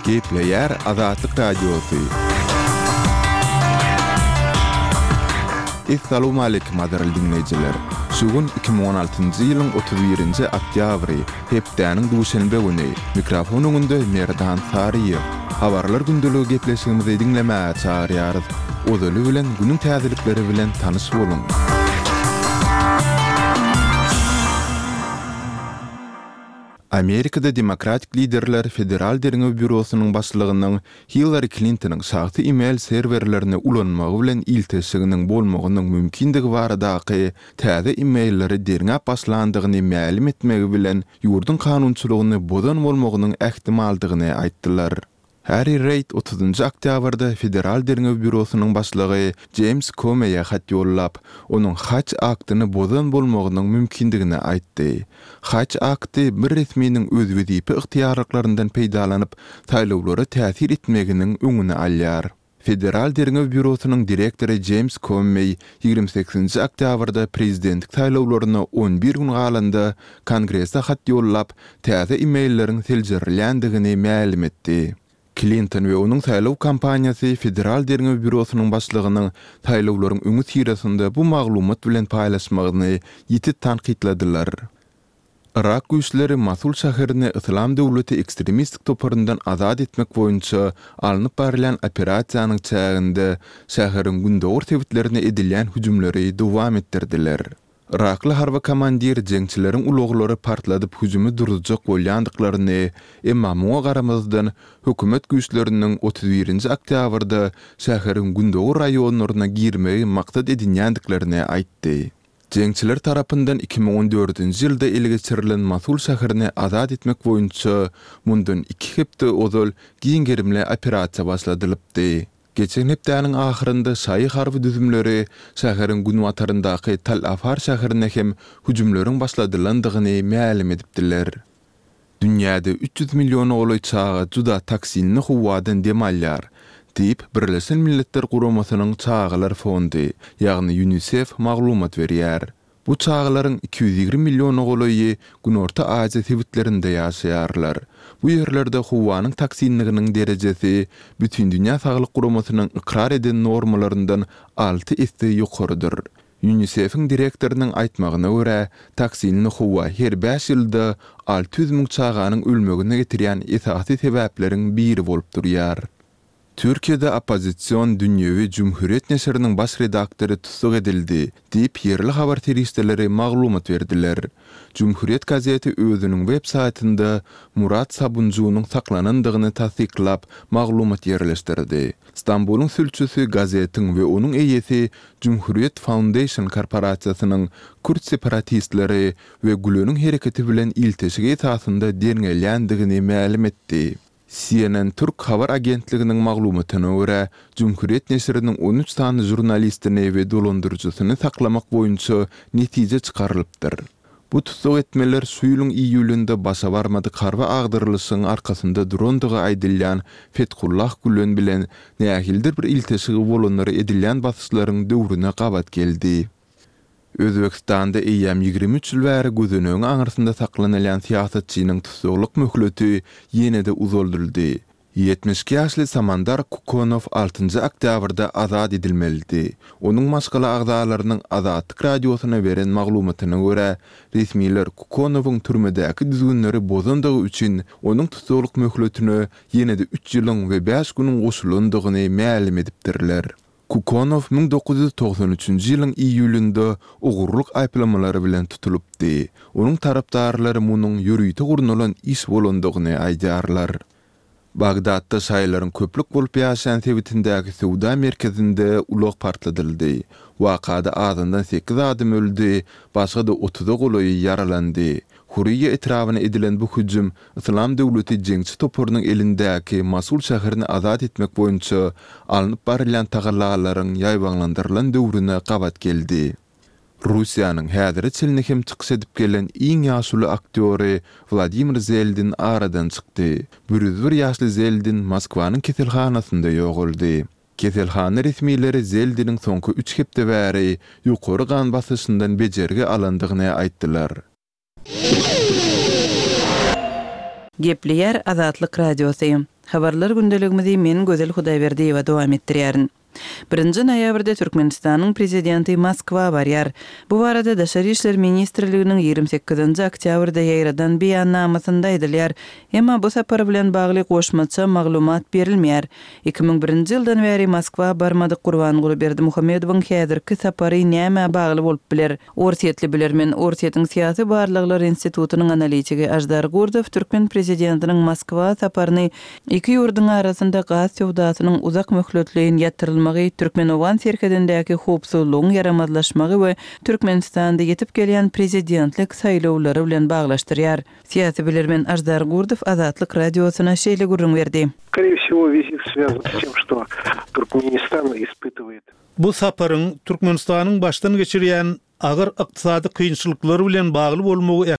Gepleýär Azatlyk Radiosy. Essalawmaleýkim gadyrly diňleýjiler! Şu gün 2016-njy ýylyň 31-nji oktýabry, hepdäniň duşenbe güni. Mikrofon öňünde Merdan Saryýew. Habarlar gündeligi gepleşigimizi diňlemäge çagyrýarys. Ozaly bilen günüň täzelikleri bilen tanyş boluň! Amerikada demokratik liderler Federal derňew býurosynyň başlygynyň Hillari Klintonyň şahsy e-mail serwerlerini ulanmagy bilen ilteşiginiň bolmagynyň mümkindigi baradaky täze e-mailleri derňäp başlandygyny mälim etmegi bilen ýurduň kanunçylygyny bozan bolmagynyň ähtimaldygyny aýtdylar. Harri Reýd otuzynjy oktýabrda Federal derňew býurosynyň başlygy Jeýms Komeýe hat ýollap, onuň Hatch aktyny bozan bolmagynyň mümkindigini aýtdy. Hatch akty bir resminiň öz wezipe ygtyýarlyklaryndan peýdalanyp, saýlawlara täsir etmeginiň öňüni alýar. Federal derňew býurosynyň direktory Jeýms Kommeý 28-nji oktýabrda prezidentlik saýlawlaryna 11 gün galanda Kongrese hat ýollap, täze e-mailleriň seljerilýändigini mälim etdi. Klinton we onuň saýlaw kampaniýasy Federal derňew býurosynyň başlygynyň saýlawlaryň öňüsyrasynda bu maglumat bilen paýlaşmagyny ýiti tankytladylar. Yrak güýçleri Mosul şäherini Yslam döwleti ekstremistik toparyndan azat etmek boýunça alnyp barylýan operasiýanyň çäginde şäheriň gündogar sebitlerine edilýän hüjümleri dowam etdirdiler. Yrakly harby komandir jeňçileriň ulaglary partladyp hüjümi duruzjak bolýandyklaryny, emma muňa garamazdan hökümet güýçleriniň 31-nji oktýabrda şäheriň gündogar raýonlaryna girmegi maksat edinýändiklerini aýtdy. Jeňçiler tarapyndan 2014-nji ýylda ele geçirilen Mosul şäherini azat etmek boýunça mundan iki hepde ozal giň gerimli operasiýa başladylypdy. Geçen hepdäniň ahyrynda şaýy harby düzümleri şäheriň günbataryndaky Tal Afar şäherine hem hüjümleriň başladylandygyny mälim edipdiler. Dünýäde 300 milliona golaý çaga juda toksinli howadan dem alýar, diýip, Birleşen Milletler Guramasynyň Çagalar fondy, ýagny Ýunisef maglumat berýär. Bu çagalaryň 220 milliona golaýy Günorta Aziýa sebitlerinde ýaşaýarlar. Bu ýerlerde howanyň toksinliginiň derejesi Bütindünýä Saglyk Guramasynyň ykrar eden normalaryndan alty esse ýokarydyr. Ýunisef-iň direktorynyň aýtmagyna görä, toksinli howa her bäş ýylda 600 müň çaganyň ölmegine getirýän esasy sebäpleriň biri bolup durýar. Türkiýede oppozision dünýewi Cumhuriyet neşiriniň baş redaktory tussag edildi, diýip, ýerli habar serişdeleri maglumat berdiler. Cumhuriyet gazeti özüniň web saýtynda Murat Sabunjunyň saklanandygyny tassyklap, maglumat ýerleşdirdi. Stambulyň sülçüsi gazetiň we onuň eýesi Cumhuriyet Foundation korporasiýasynyň kürt separatistleri we Güleniň hereketi bilen ilteşigi esasynda derňelýändigini mälim etdi. CNN Türk habar agentliginiň maglumatyna görä, Cumhuriyet neşiriniň 13 sany žurnalistini we dolandyryjysyny saklamak boýunça netije çykarylypdyr. Bu tussag etmeler şu ýylyň iýulynda başa barmadyk harby agdarylyşygyň arkasynda durandygy aýdylýan Fethullah Gülen bilen nähilidir bir ilteşigi bolanlara edilýän basyşlaryň döwrüne gabat geldi. Özbegistanda eýýäm 23 ýyl bäri gözenegiň aňyrsynda saklanylýan syýasatçynyň tussaglyk möhleti ýene-de uzaldyldy. 72 ýaşly Samandar Kukonow altynjy oktýabrda azat edilmelidi. Onuň maşgala agzalarynyň Azatlyk Radiosyna beren maglumatyna görä, resmiler Kukonowyň türmedäki düzgünleri bozandygy üçin onuň tussaglyk möhletine ýene-de üç ýylyň we bäş günüň goşulandygyny mälim edipdirler. Kukonow 1993-nji ýylyň iýulynda ogurlyk aýyplamalary bilen tutulypdy. Onuň tarapdarlary munuň ýörite gurnalan iş bolandygyny aýdýarlar. Bagdatda şaýylaryň köplük bolup ýaşaýan sebitindäki söwda merkezinde ulag partladyldy. Wakada azyndan sekiz adam öldi, başga-da otuza golaýy ýaralandy. Huriýa etrabyna edilen bu hüjüm Yslam döwleti jeňçi toparynyň elindäki Mosul şäherini azat etmek boýunça alnyp barylýan tagallalaryň ýaýbaňlandyrylan döwrüne gabat geldi. Russiýanyň häzire çenli hem çykyş edip gelen iň ýaşuly aktýory Wladimir Zeldin aradan çykdy. 101 ýaşly Zeldin Moskwanyň keselhanasynda ýogaldy. Keselhana resmileri Zeldiniň soňky üç hepde bäri ýokary gan basyşyndan bejergi alandygyny aýtdylar. Gepleýär Azatlyk Radiosy. Habarlar gündeligimizi men Gözel Hudaýberdiýewa dowam etdirýärin. Birinji noýabrda Türkmenistanyň Prezidenti Moskwa barýar. Bu barada Daşary işler ministrliginiň 28 nji oktýabrda ýaýradan beýannamasynda aýdylýar. Emma bu sapar bilen bagly goşmaça maglumat berilmeýär. 2001-nji ýyldan bäri Moskwa barmadyk Gurbanguly Berdimuhamedowyň häzirki sapary nämä bagly bolup biler? Orsýetli bilermen, Orsýetiň Syýasy barlaglar institutynyň analitigi Aždar Gurdow türkmen prezidentiniň Moskwa saparyny iki ýurduň arasynda gaz söwdasynyň uzak möhletleýin ýatyrylmagy, türkmen-owgan serhedindäki howpsuzlygyň ýaramazlaşmagy we Türkmenistanda ýetip gelýän prezidentlik saýlawlary bilen baglaşdyrýar. Syýasy bilermen Aždar Gurdow Azatlyk Radiosyna şeýle gürrüň berdi. Skoree wsego wizit swýazan s tem, çto Turkmenistan ispytywaet. Bu saparyň Türkmenistanyň başdan geçirýän agyr ykdysady kynçylyklary bilen bagly bolmagy.